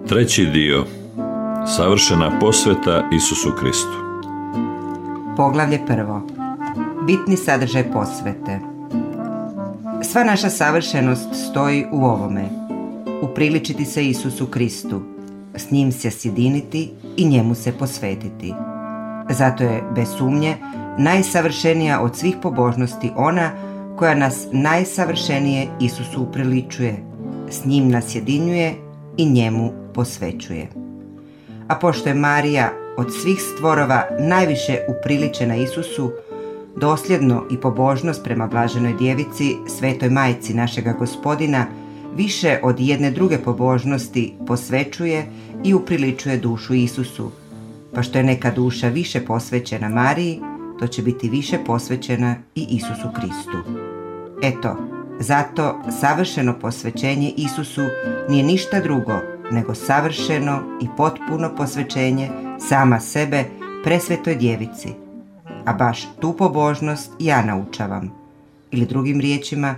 Treći dio. Savršena posveta Isusu Kristu. Poglavlje 1. Bitni sadržaj posvete. Sva naša savršenost stoji u ovome: upriličiti se Isusu Kristu, s njim se sjediniti i njemu se posvetiti. Zato je, bez sumnje, najsavršenija od svih pobožnosti ona koja nas najsavršenije Isusu upriličuje, s njim nas sjedinjuje i njemu posvećuje. A pošto je Marija od svih stvorova najviše upriličena Isusu, dosljedno i pobožnost prema blaženoj djevici, svetoj majci našega Gospodina, više od jedne druge pobožnosti posvećuje i upriličuje dušu Isusu. Pa što je neka duša više posvećena Mariji, to će biti više posvećena i Isusu Kristu. Eto, zato savršeno posvećenje Isusu nije ništa drugo nego savršeno i potpuno posvećenje sama sebe presvetoj djevici. A baš tu pobožnost ja naučavam. Ili drugim riječima,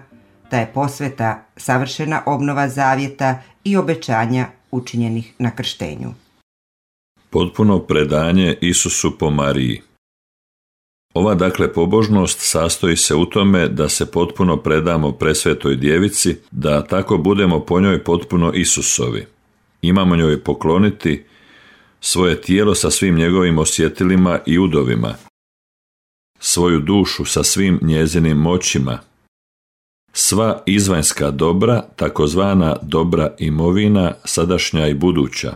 da je posveta savršena obnova zavjeta i obećanja učinjenih na krštenju. Potpuno predanje Isusu po Mariji. Ova dakle pobožnost sastoji se u tome da se potpuno predamo presvetoj djevici, da tako budemo po njoj potpuno Isusovi. Imamo njoj pokloniti svoje tijelo sa svim njegovim osjetilima i udovima, svoju dušu sa svim njezinim moćima, sva izvanjska dobra, takozvana dobra imovina, sadašnja i buduća,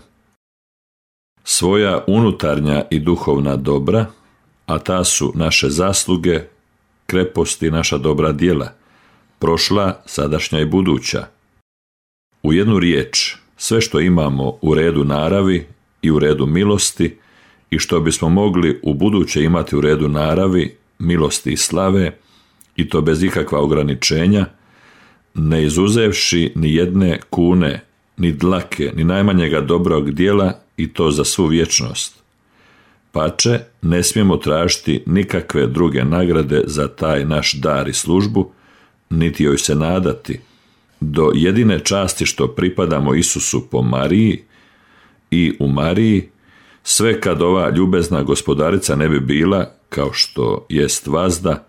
svoja unutarnja i duhovna dobra, a ta su naše zasluge, kreposti, naša dobra djela, prošla, sadašnja i buduća. U jednu riječ, sve što imamo u redu naravi i u redu milosti i što bismo mogli u buduće imati u redu naravi, milosti i slave, i to bez ikakva ograničenja, ne izuzevši ni jedne kune, ni dlake, ni najmanjega dobrog djela, i to za svu vječnost. Pače, ne smijemo tražiti nikakve druge nagrade za taj naš dar i službu, niti joj se nadati, do jedine časti što pripadamo Isusu po Mariji i u Mariji, sve kad ova ljubezna gospodarica ne bi bila, kao što jest vazda,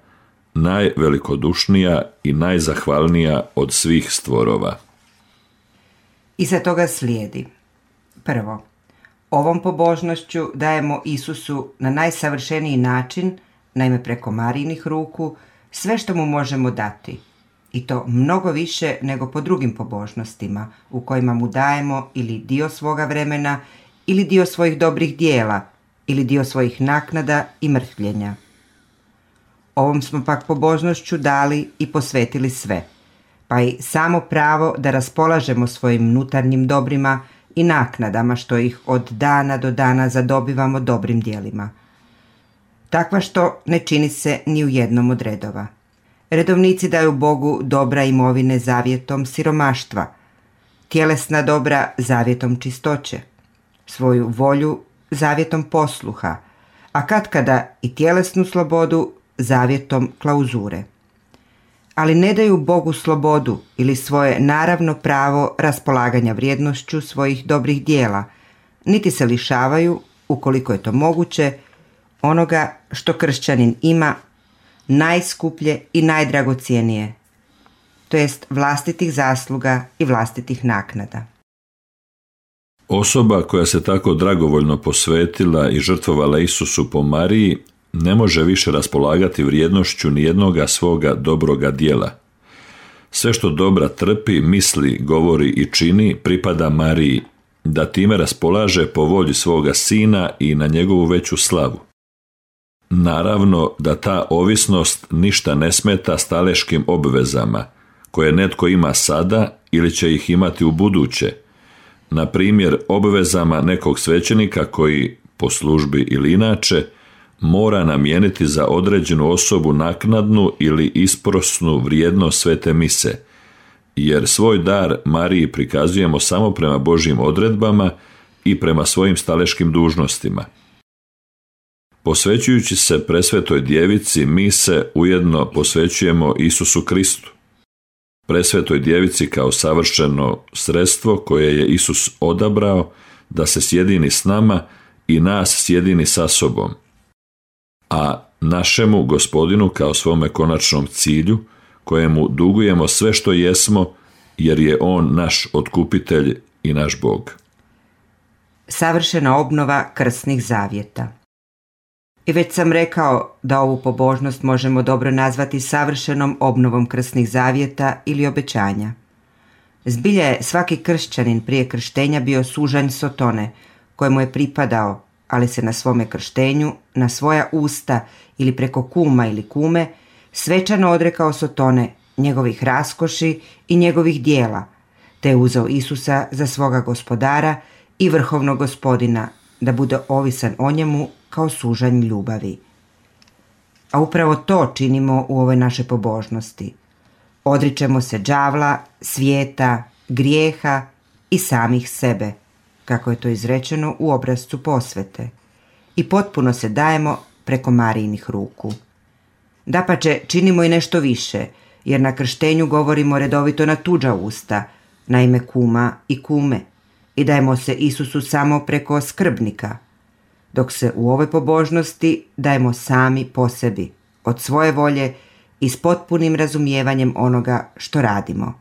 najvelikodušnija i najzahvalnija od svih stvorova. Iza toga slijedi: prvo, ovom pobožnošću dajemo Isusu na najsavršeniji način, naime preko Marijinih ruku, sve što mu možemo dati, i to mnogo više nego po drugim pobožnostima, u kojima mu dajemo ili dio svoga vremena, ili dio svojih dobrih dijela, ili dio svojih naknada i mrtvljenja. Ovom smo pak pobožnošću dali i posvetili sve, pa i samo pravo da raspolažemo svojim unutarnjim dobrima i naknadama što ih od dana do dana zadobivamo dobrim djelima. Takva što ne čini se ni u jednom od redova. Redovnici daju Bogu dobra imovine zavjetom siromaštva, tjelesna dobra zavjetom čistoće, svoju volju zavjetom posluha, a katkada i tjelesnu slobodu zavjetom klauzure. Ali ne daju Bogu slobodu ili svoje naravno pravo raspolaganja vrijednošću svojih dobrih dijela, niti se lišavaju, ukoliko je to moguće, onoga što kršćanin ima najskuplje i najdragocjenije, to jest vlastitih zasluga i vlastitih naknada. Osoba koja se tako dragovoljno posvetila i žrtvovala Isusu po Mariji ne može više raspolagati vrijednošću nijednoga svoga dobroga djela. Sve što dobra trpi, misli, govori i čini pripada Mariji, da time raspolaže po volji svoga sina i na njegovu veću slavu. Naravno da ta ovisnost ništa ne smeta staleškim obvezama, koje netko ima sada ili će ih imati u buduće, na primjer obvezama nekog svećenika koji, po službi ili inače, mora namijeniti za određenu osobu naknadnu ili isprosnu vrijednost svete mise, jer svoj dar Mariji prikazujemo samo prema Božjim odredbama i prema svojim staleškim dužnostima. Posvećujući se presvetoj djevici, mi se ujedno posvećujemo Isusu Kristu. Presvetoj djevici kao savršeno sredstvo koje je Isus odabrao da se sjedini s nama i nas sjedini sa sobom, a našemu Gospodinu kao svome konačnom cilju, kojemu dugujemo sve što jesmo, jer je On naš otkupitelj i naš Bog. Savršena obnova krsnih zavjeta. I već sam rekao da ovu pobožnost možemo dobro nazvati savršenom obnovom krsnih zavjeta ili obećanja. Zbilja je svaki kršćanin prije krštenja bio sužanj Sotone, kojemu je pripadao, ali se na svome krštenju, na svoja usta ili preko kuma ili kume, svečano odrekao Sotone, njegovih raskoši i njegovih dijela, te je uzeo Isusa za svoga gospodara i vrhovnog gospodina, da bude ovisan o njemu kao sužanj ljubavi. A upravo to činimo u ovoj našoj pobožnosti. Odričemo se đavla, svijeta, grijeha i samih sebe, kako je to izrečeno u obrascu posvete, i potpuno se dajemo preko Marijinih ruku. Dapače, činimo i nešto više, jer na krštenju govorimo redovito na tuđa usta, na ime kuma i kume, i dajemo se Isusu samo preko skrbnika, dok se u ovoj pobožnosti dajemo sami po sebi, od svoje volje i s potpunim razumijevanjem onoga što radimo.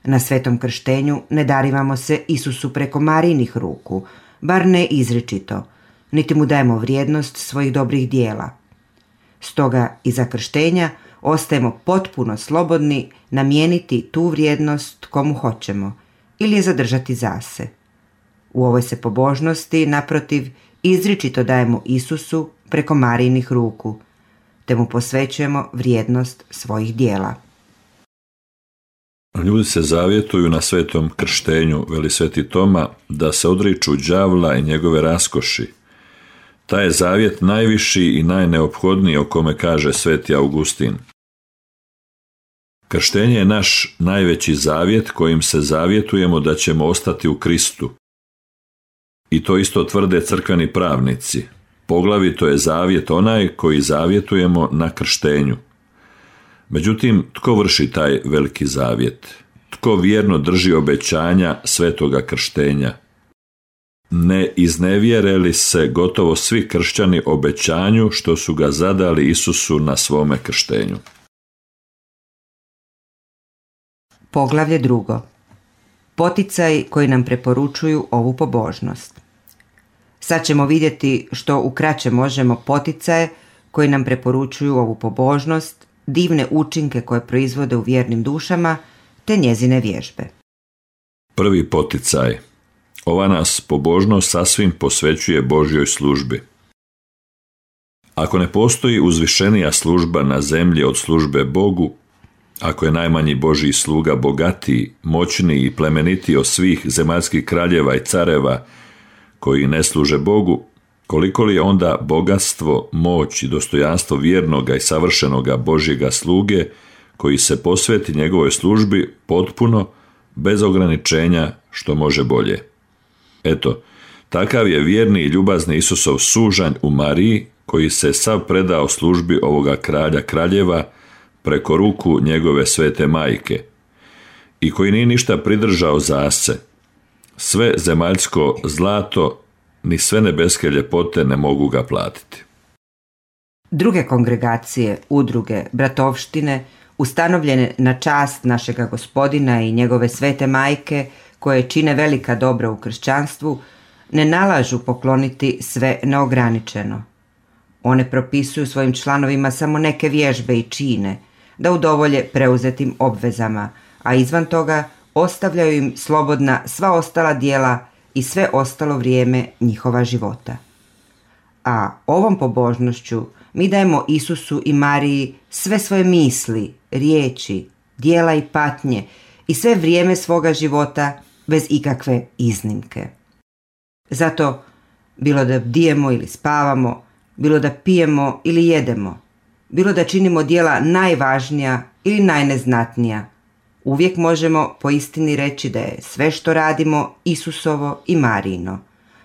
Na svetom krštenju ne darivamo se Isusu preko Marijinih ruku, bar ne izričito, niti mu dajemo vrijednost svojih dobrih dijela. Stoga iza krštenja ostajemo potpuno slobodni namijeniti tu vrijednost komu hoćemo ili je zadržati za se. U ovoj se pobožnosti, naprotiv, izričito dajemo Isusu preko Marijinih ruku, te mu posvećujemo vrijednost svojih dijela. Ljudi se zavjetuju na svetom krštenju, veli sveti Toma, da se odriču đavla i njegove raskoši. Taj je zavjet najviši i najneophodniji, o kome kaže sveti Augustin. Krštenje je naš najveći zavjet kojim se zavjetujemo da ćemo ostati u Kristu. I to isto tvrde crkveni pravnici. Poglavito je zavjet onaj koji zavjetujemo na krštenju. Međutim, tko vrši taj veliki zavjet? Tko vjerno drži obećanja svetoga krštenja? Ne iznevjere li se gotovo svi kršćani obećanju što su ga zadali Isusu na svome krštenju? Poglavlje 2. Poticaj koji nam preporučuju ovu pobožnost. Sad ćemo vidjeti što ukraće možemo poticaje koji nam preporučuju ovu pobožnost, divne učinke koje proizvode u vjernim dušama, te njezine vježbe. Prvi poticaj. Ova nas pobožnost sasvim posvećuje Božjoj službi. Ako ne postoji uzvišenija služba na zemlji od službe Bogu, ako je najmanji Božji sluga bogatiji, moćniji i plemenitiji od svih zemaljskih kraljeva i careva koji ne služe Bogu, koliko li je onda bogatstvo, moć i dostojanstvo vjernoga i savršenoga Božjega sluge koji se posveti njegovoj službi potpuno, bez ograničenja, što može bolje. Eto, takav je vjerni i ljubazni Isusov sužanj u Mariji, koji se sav predao službi ovoga kralja kraljeva preko ruku njegove svete majke i koji nije ništa pridržao za se. Sve zemaljsko zlato ni sve nebeske ljepote ne mogu ga platiti. Druge kongregacije, udruge, bratovštine ustanovljene na čast našega Gospodina i njegove svete majke, koje čine velika dobra u kršćanstvu, ne nalažu pokloniti sve neograničeno. One propisuju svojim članovima samo neke vježbe i čine, da udovolje preuzetim obvezama, a izvan toga ostavljaju im slobodna sva ostala djela i sve ostalo vrijeme njihova života. A ovom pobožnošću mi dajemo Isusu i Mariji sve svoje misli, riječi, djela i patnje i sve vrijeme svoga života bez ikakve iznimke. Zato, bilo da bdijemo ili spavamo, bilo da pijemo ili jedemo, bilo da činimo djela najvažnija ili najneznatnija, uvijek možemo po istini reći da je sve što radimo Isusovo i Marijino,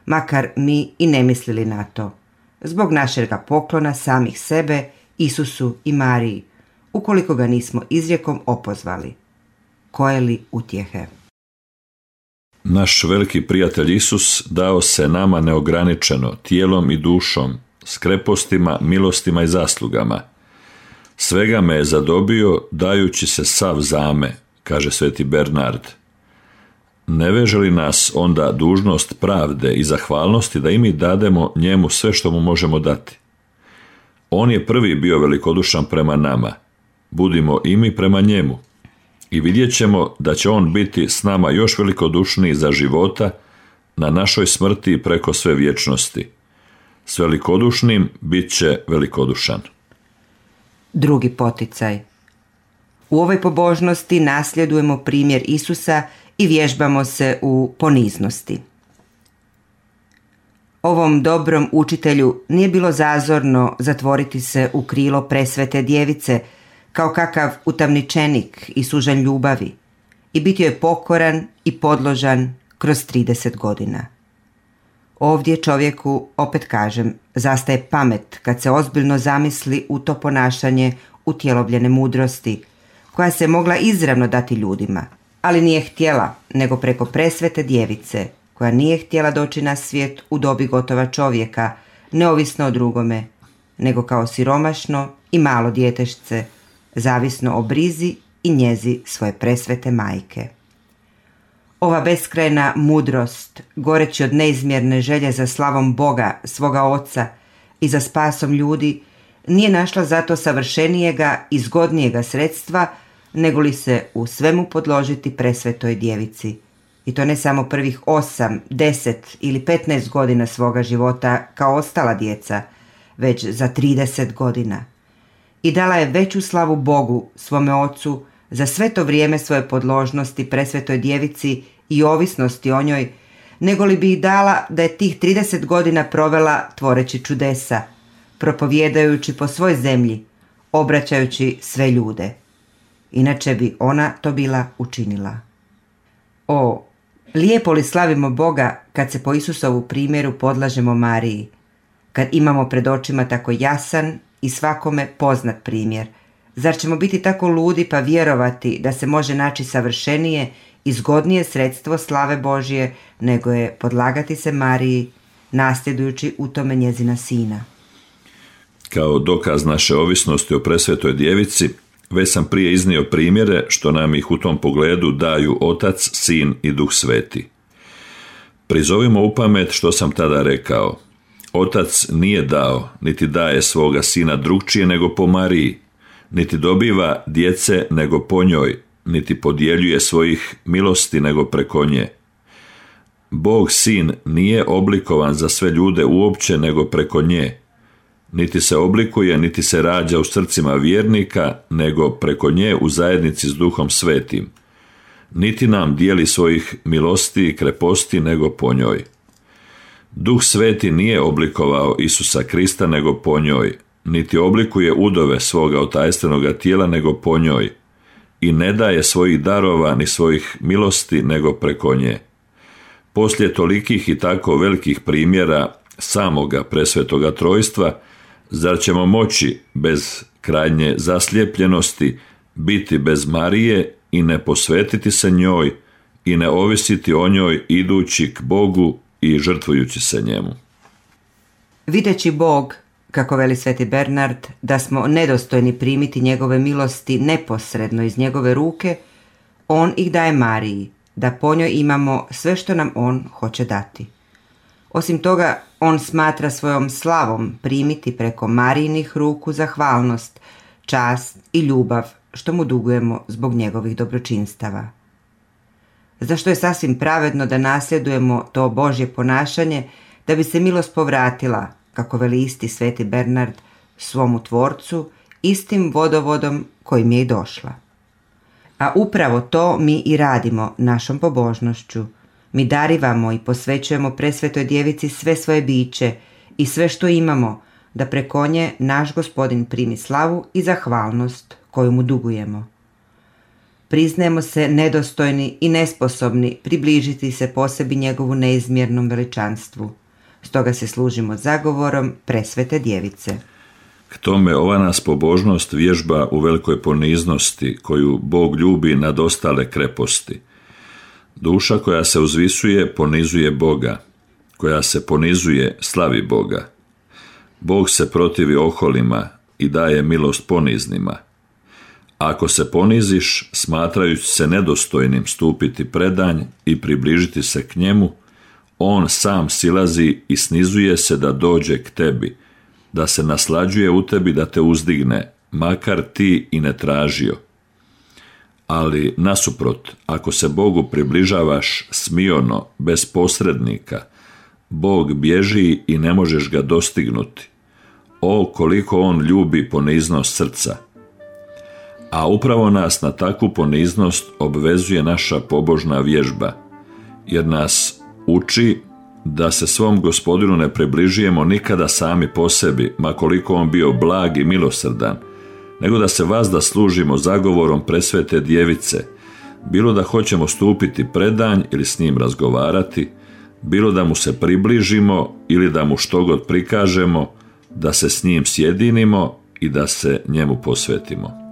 makar mi i ne mislili na to, zbog našega poklona samih sebe, Isusu i Mariji, ukoliko ga nismo izrijekom opozvali. Koje li utjehe? Naš veliki prijatelj Isus dao se nama neograničeno, tijelom i dušom, s krepostima, milostima i zaslugama. Svega me je zadobio, dajući se sav zame, kaže sveti Bernard. Ne veže li nas onda dužnost pravde i zahvalnosti da i mi dademo njemu sve što mu možemo dati? On je prvi bio velikodušan prema nama, budimo i mi prema njemu. I vidjet ćemo da će on biti s nama još velikodušniji za života na našoj smrti preko sve vječnosti. S velikodušnim bit će velikodušan. Drugi poticaj. U ovoj pobožnosti nasljedujemo primjer Isusa i vježbamo se u poniznosti. Ovom dobrom učitelju nije bilo zazorno zatvoriti se u krilo presvete djevice kao kakav utamničenik i sužanj ljubavi i biti je pokoran i podložan kroz 30 godina. Ovdje čovjeku, opet kažem, zastaje pamet kad se ozbiljno zamisli u to ponašanje utjelovljene mudrosti, koja se mogla izravno dati ljudima, ali nije htjela, nego preko presvete djevice, koja nije htjela doći na svijet u dobi gotova čovjeka, neovisno o drugome, nego kao siromašno i malo djetešce, zavisno o brizi i njezi svoje presvete majke. Ova beskrajna mudrost, goreći od neizmjerne želje za slavom Boga, svoga Oca i za spasom ljudi, nije našla zato savršenijega i zgodnijega sredstva, nego li se u svemu podložiti presvetoj djevici. I to ne samo prvih 8, 10 ili 15 godina svoga života kao ostala djeca, već za 30 godina. I dala je veću slavu Bogu, svome Ocu, za sve to vrijeme svoje podložnosti presvetoj djevici i ovisnosti o njoj, nego li bi ih dala da je tih 30 godina provela tvoreći čudesa, propovjedajući po svoj zemlji, obraćajući sve ljude. Inače bi ona to bila učinila. O, lijepo li slavimo Boga kad se po Isusovu primjeru podlažemo Mariji, kad imamo pred očima tako jasan i svakome poznat primjer. Zar ćemo biti tako ludi pa vjerovati da se može naći savršenije i zgodnije sredstvo slave Božje nego je podlagati se Mariji, nasljedujući u tome njezina sina? Kao dokaz naše ovisnosti o presvetoj djevici, već sam prije iznio primjere što nam ih u tom pogledu daju Otac, Sin i Duh Sveti. Prizovimo u pamet što sam tada rekao. Otac nije dao, niti daje svoga Sina drugčije nego po Mariji, niti dobiva djece nego po njoj, niti podjeljuje svojih milosti nego preko nje. Bog Sin nije oblikovan za sve ljude uopće nego preko nje, niti se oblikuje, niti se rađa u srcima vjernika, nego preko nje u zajednici s Duhom Svetim. Niti nam dijeli svojih milosti i kreposti, nego po njoj. Duh Sveti nije oblikovao Isusa Krista, nego po njoj, niti oblikuje udove svoga otajstvenoga tijela, nego po njoj, i ne daje svojih darova ni svojih milosti, nego preko nje. Poslije tolikih i tako velikih primjera samoga presvetoga trojstva, zar ćemo moći bez krajnje zaslijepljenosti biti bez Marije i ne posvetiti se njoj i ne ovisiti o njoj idući k Bogu i žrtvujući se njemu? Videći Bog kako veli sveti Bernard, da smo nedostojni primiti njegove milosti neposredno iz njegove ruke, on ih daje Mariji, da po njoj imamo sve što nam on hoće dati. Osim toga, on smatra svojom slavom primiti preko Marijinih ruku zahvalnost, čast i ljubav što mu dugujemo zbog njegovih dobročinstava. Zašto je sasvim pravedno da nasljedujemo to Božje ponašanje, da bi se milost povratila, kako veli isti sveti Bernard, svomu tvorcu, istim vodovodom kojim je i došla. A upravo to mi i radimo našom pobožnošću. Mi darivamo i posvećujemo presvetoj djevici sve svoje biće i sve što imamo, da preko nje naš Gospodin primi slavu i zahvalnost koju mu dugujemo. Priznajemo se nedostojni i nesposobni približiti se posebi njegovu neizmjernom veličanstvu. Stoga se služimo zagovorom presvete djevice. K tome ova nas pobožnost vježba u velikoj poniznosti koju Bog ljubi nad ostale kreposti. Duša koja se uzvisuje ponizuje Boga, koja se ponizuje slavi Boga. Bog se protivi oholima i daje milost poniznima. Ako se poniziš, smatrajući se nedostojnim stupiti predanj i približiti se k njemu, on sam silazi i snizuje se da dođe k tebi, da se naslađuje u tebi da te uzdigne, makar ti i ne tražio. Ali nasuprot, ako se Bogu približavaš smiono, bez posrednika, Bog bježi i ne možeš ga dostignuti. O, koliko on ljubi poniznost srca! A upravo nas na takvu poniznost obvezuje naša pobožna vježba, jer nas uči da se svom Gospodinu ne približujemo nikada sami po sebi, ma koliko on bio blag i milosrdan, nego da se vazda služimo zagovorom presvete djevice, bilo da hoćemo stupiti predanj ili s njim razgovarati, bilo da mu se približimo ili da mu štogod prikažemo, da se s njim sjedinimo i da se njemu posvetimo.